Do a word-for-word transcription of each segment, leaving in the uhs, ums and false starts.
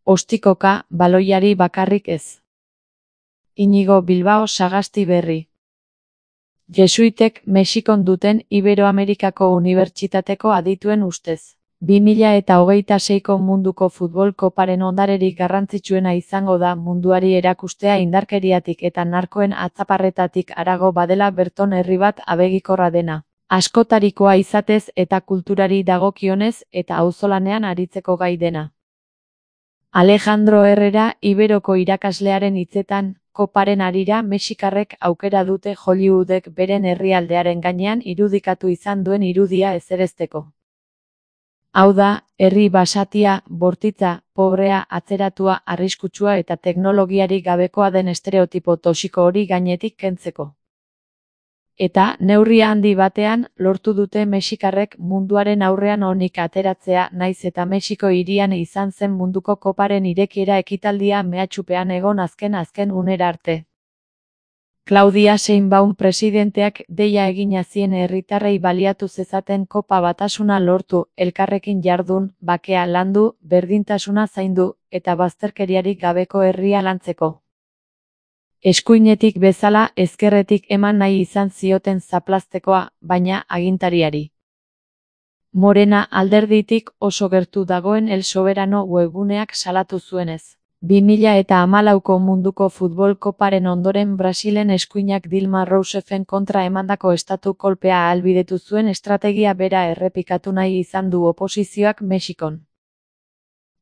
Ostikoka, baloiari bakarrik ez. Inigo Bilbao Sagasti Berri. Jesuitek Mexikon duten Iberoamerikako Unibertsitateko adituen ustez. bi mila eta hogeita seiko munduko futbol koparen ondarerik garrantzitsuena izango da munduari erakustea indarkeriatik eta narkoen atzaparretatik harago badela berton herri bat abegikorra dena. Askotarikoa izatez eta kulturari dagokionez eta auzolanean aritzeko gai dena. Alejandro Herrera Iberoko irakaslearen hitzetan, koparen harira Mexikarrek aukera dute Hollywoodek beren herrialdearen gainean irudikatu izan duen irudia ezerezteko. Hau da, herri basatia, bortitza, pobrea, atzeratua, arriskutsua eta teknologiarik gabekoa den estereotipo toxiko hori gainetik kentzeko. Eta, neurri handi batean, lortu dute Mexikarrek munduaren aurrean onik ateratzea naiz eta Mexiko hirian izan zen munduko koparen irekiera ekitaldia mehatxupean egon azken azken unera arte. Claudia Sheinbaum presidenteak deia egina zien herritarrei baliatu zezaten kopa batasuna lortu, elkarrekin jardun, bakea landu, berdintasuna zaindu, eta bazterkeriarik gabeko herria lantzeko. Eskuinetik bezala ezkerretik eman nahi izan zioten zaplaztekoa, baina agintariari. Morena alderditik oso gertu dagoen El Soberano webguneak salatu zuenez. bi mila eta hamalauko munduko futbol koparen ondoren Brasilen eskuinak Dilma Rouseffen kontra emandako estatu kolpea ahalbidetu zuen estrategia bera errepikatu nahi izan du oposizioak Mexikon.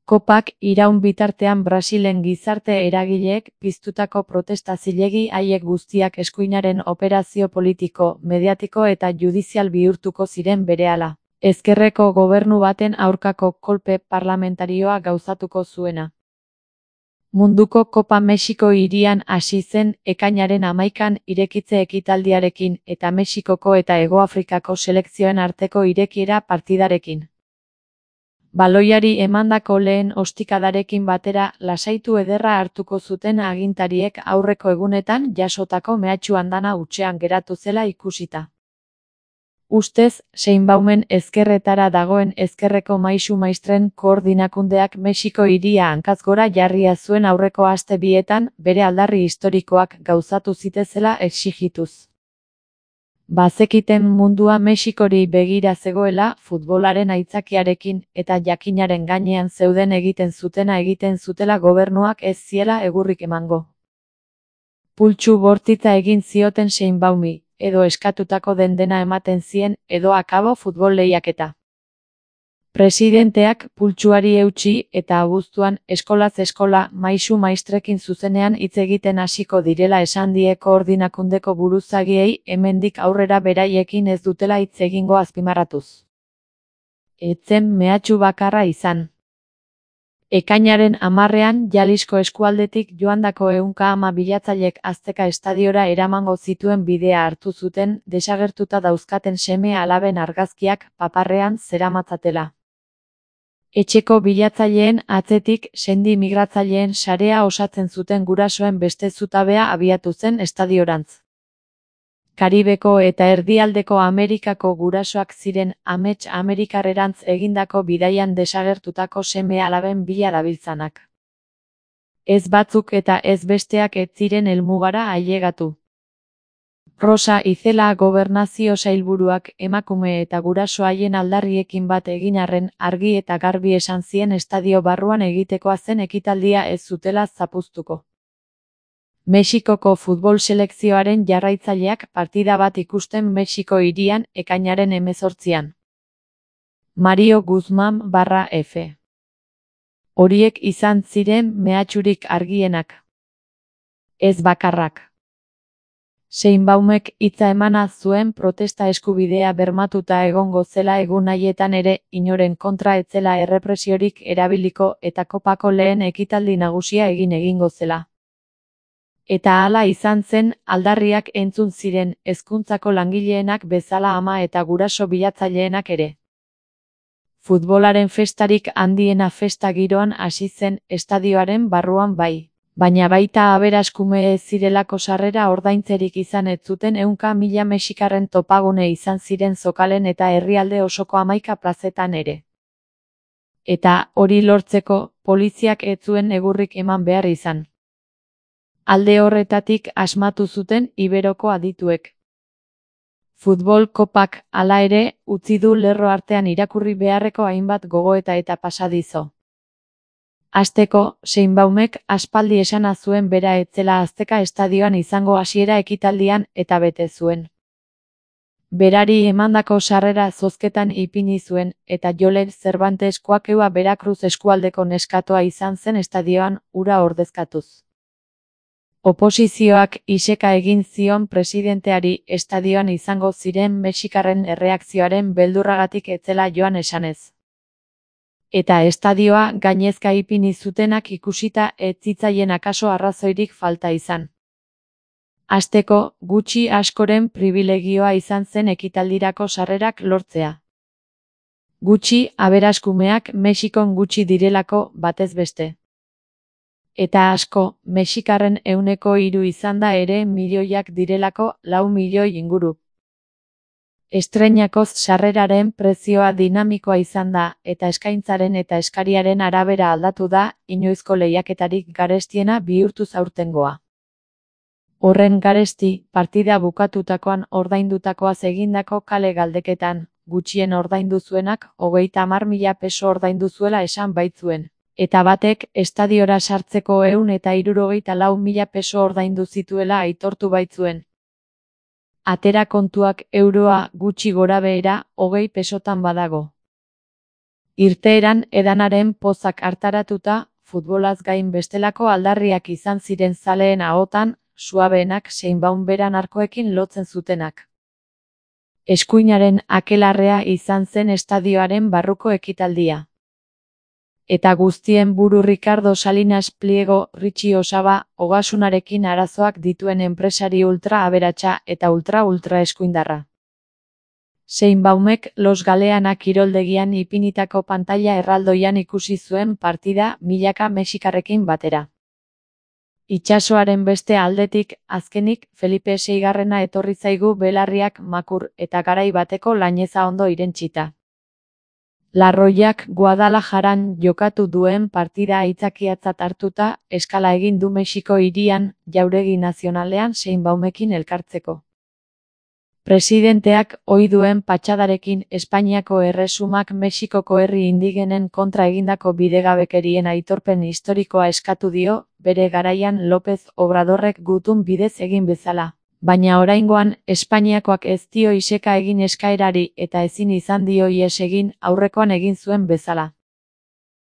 Kopak iraun bitartean Brasilen gizarte eragileek piztutako protesta zilegi haiek guztiak eskuinaren operazio politiko, mediatiko eta judizial bihurtuko ziren berehala. Ezkerreko gobernu baten aurkako kolpe parlamentarioa gauzatuko zuena. Munduko Kopa Mexiko hirian hasi zen ekainaren hamaikan irekitze ekitaldiarekin eta Mexikoko eta Hegoafrikako selekzioen arteko irekiera partidarekin. Baloiari emandako lehen ostikadarekin batera lasaitu ederra hartuko zuten agintariek aurreko egunetan jasotako mehatxu andana hutsean geratu zela ikusita. Ustez, Sheinbaumen ezkerretara dagoen ezkerreko maisu maistren koordinakundeak Mexiko hiria hankaz gora jarria zuen aurreko aste bietan bere aldarri historikoak gauzatu zitezela exigituz. Bazekiten mundua Mexikori begira zegoela futbolaren aitzakiarekin eta jakinaren gainean zeuden egiten zutena egiten zutela gobernuak ez ziela egurrik emango. Pultsu bortitza egin zioten Sheinbaumi, edo eskatutako den dena ematen zien, edo akabo futbol lehiaketa. Presidenteak pultsuari eutsi eta abuztuan eskolaz eskola maisu maistrekin zuzenean hitz egiten hasiko direla esan die koordinakundeko buruzagiei hemendik aurrera beraiekin ez dutela hitz egingo azpimarratuz. Etzen mehatxu bakarra izan. Ekainaren hamarrean Jalisco eskualdetik joandako ehunka ama bilatzailek Azteca estadiora eramango zituen bidea hartu zuten desagertuta dauzkaten seme alaben argazkiak paparrean zeramatzatela. Etxeko bilatzaileen atzetik sendi migratzaileen sarea osatzen zuten gurasoen beste zutabea abiatu zen estadiorantz. Karibeko eta erdialdeko Amerikako gurasoak ziren amets Amerikarrerantz egindako bidaian desagertutako seme alaben bila dabiltzanak. Ez batzuk eta ez besteak ez ziren helmugara ailegatu. Rosa Izela gobernazio sailburuak emakume eta guraso haien aldarriekin bat egin arren argi eta garbi esan zien estadio barruan egitekoa zen ekitaldia ez zutela zapuztuko. Mexikoko futbol selekzioaren jarraitzaileak partida bat ikusten Mexiko hirian ekainaren hemezortzian. Mario Guzmán barra F. Horiek izan ziren mehatxurik argienak. Ez bakarrak. Sheinbaumek hitza emana zuen protesta eskubidea bermatuta egongo zela egun haietan ere inoren kontra ez zela errepresiorik erabiliko eta kopako lehen ekitaldi nagusia egin egingo zela. Eta hala izan zen, aldarriak entzun ziren hezkuntzako langileenak bezala ama eta guraso bilatzaileenak ere. Futbolaren festarik handiena festa giroan hasi zen estadioaren barruan bai, baina baita aberaskume ez zirelako sarrera ordaintzerik izan ez zuten ehunka mila mexikarren topagune izan ziren zokalen eta herrialde osoko hamaika plazetan ere. Eta hori lortzeko, poliziak ez zuen egurrik eman behar izan. Alde horretatik asmatu zuten Iberoko adituek. Futbol kopak, hala ere, utzi du lerro artean irakurri beharreko hainbat gogoeta eta pasadizo. Hasteko, Sheinbaumek aspaldi esana zuen bera ez zela Azteka estadioan izango hasiera ekitaldian eta bete zuen. Berari emandako sarrera zozketan ipini zuen, eta Jolen Cervantes Koakeua Veracruz eskualdeko neskatoa izan zen estadioan hura ordezkatuz. Oposizioak iseka egin zion presidenteari estadioan izango ziren mexikarren erreakzioaren beldurragatik ez zela joan esanez. Eta estadioa gainezka ipini zutenak ikusita ez zitzaien akaso arrazoirik falta izan. Hasteko, gutxi askoren pribilegioa izan zen ekitaldirako sarrerak lortzea. Gutxi aberaskumeak Mexikon gutxi direlako batez beste. Eta asko, mexikarren ehuneko hiru izan da ere milioiak direlako lau milioi inguru. Estreinakoz sarreraren prezioa dinamikoa izan da, eta eskaintzaren eta eskariaren arabera aldatu da, inoizko lehiaketarik garestiena bihurtuz aurtengoa. Horren garesti, partida bukatutakoan ordaindutakoaz egindako kale galdeketan, gutxien ordaindu zuenak hogeita hamar mila peso ordaindu zuela esan baitzuen. Eta batek, estadiora sartzeko ehun eta hirurogeita lau mila peso ordaindu zituela aitortu baitzuen. Atera kontuak euroa gutxi gorabehera hogei pesotan badago. Irteeran edanaren pozak hartaratuta, futbolaz gain bestelako aldarriak izan ziren zaleen ahotan, suabeenak Sheinbaum beran arkoekin lotzen zutenak. Eskuinaren akelarrea izan zen estadioaren barruko ekitaldia. Eta guztien buru Ricardo Salinas Pliego, Richie Osaba, ogasunarekin arazoak dituen enpresari ultra aberatsa eta ultra-ultra eskuindarra. Sheinbaumek Los Galeana kiroldegian ipinitako pantaila erraldoian ikusi zuen partida milaka mexikarrekin batera. Itsasoaren beste aldetik, azkenik, Felipe seigarrena etorri zaigu belarriak makur eta garai bateko laineza ondo irentsita. Larroiak Guadalajaran jokatu duen partida aitzakiatzat hartuta, eskala egin du Mexiko hirian, jauregi nazionalean Sheinbaumekin elkartzeko. Presidenteak ohi duen patxadarekin Espainiako erresumak Mexikoko herri indigenen kontra egindako bidegabekerien aitorpen historikoa eskatu dio, bere garaian López Obradorrek gutun bidez egin bezala. Baina oraingoan, Espainiakoak ez dio iseka egin eskaerari eta ezin izan dio ihes egin aurrekoan egin zuen bezala.